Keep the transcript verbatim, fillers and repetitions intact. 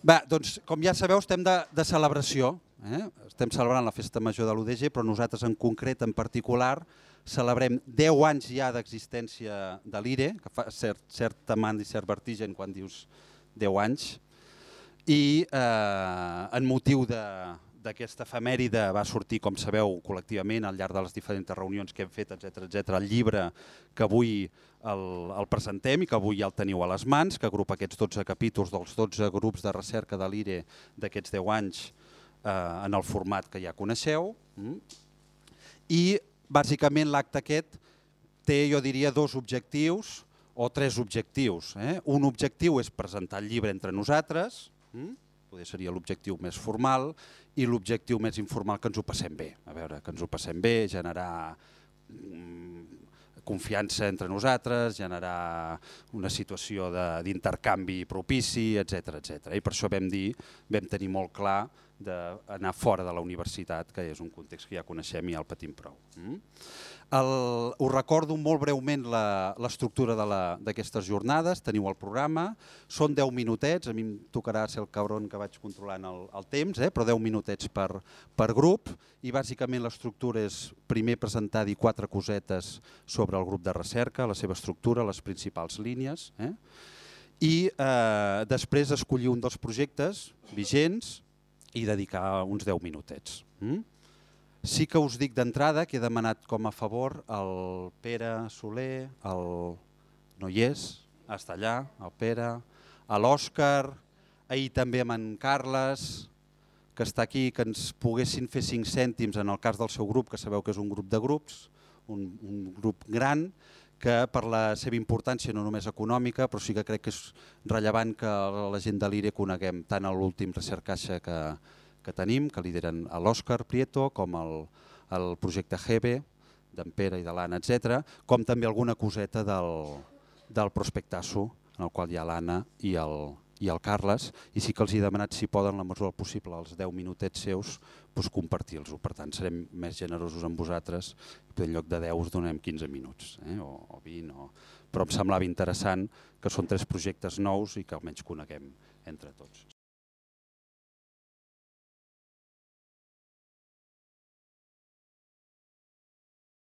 Bé, doncs, com ja sabeu, estem de, de celebració. Eh? Estem celebrant la Festa Major de l'U D G, però nosaltres en concret, en particular, celebrem deu anys ja d'existència de l'I R E, que fa cert, certa manda i cert vertigen quan dius deu anys, i eh, en motiu d'aquesta efemèride va sortir, com sabeu, col·lectivament al llarg de les diferents reunions que hem fet, etcètera, etcètera, el llibre que avui el, el presentem i que avui ja el teniu a les mans, que agrupa aquests dotze capítols dels dotze grups de recerca de l'I R E d'aquests deu anys eh, en el format que ja coneixeu. I bàsicament l'acte aquest té, jo diria, dos objectius o tres objectius. Eh? Un objectiu és presentar el llibre entre nosaltres, hm? Poder seria l'objectiu més formal, i l'objectiu més informal, que ens ho passem bé. A veure, que ens ho passem bé, generar confiança entre nosaltres, generar una situació d'intercanvi propici, etcètera, etcètera. I per això vam dir, vam tenir molt clar d'anar fora de la universitat, que és un context que ja coneixem i ja el patim prou. El, us recordo molt breument l'estructura d'aquestes jornades, teniu el programa, són deu minutets, a mi em tocarà ser el cabron que vaig controlant el, el temps, eh? Però deu minutets per, per grup, i bàsicament l'estructura és primer presentar dir quatre cosetes sobre el grup de recerca, la seva estructura, les principals línies, eh? I eh, després escollir un dels projectes vigents i dedicar uns deu minutets. Mm? Sí que us dic d'entrada que he demanat com a favor el Pere Soler, el no hi és, està allà, el Pere, l'Òscar, ahir també amb en Carles, que està aquí, que ens poguessin fer cinc cèntims en el cas del seu grup, que sabeu que és un grup de grups, un, un grup gran, que per la seva importància no només econòmica, però sí que crec que és rellevant que la gent de l'I R E coneguem tant l'últim recercaixa que, que tenim, que lideren l'Òscar Prieto, com el, el projecte G B, d'en Pere i de l'Anna, etcètera, com també alguna coseta del, del Prospectasso, en el qual hi ha l'Anna i el, i el Carles, i sí que els he demanat si poden, la mesura del possible, els deu minutets seus, doncs compartir-los-ho. Per tant, serem més generosos amb vosaltres, i en lloc de deu us donem quinze minuts, eh? o, o vint, o... però em semblava interessant que són tres projectes nous i que almenys coneguem entre tots.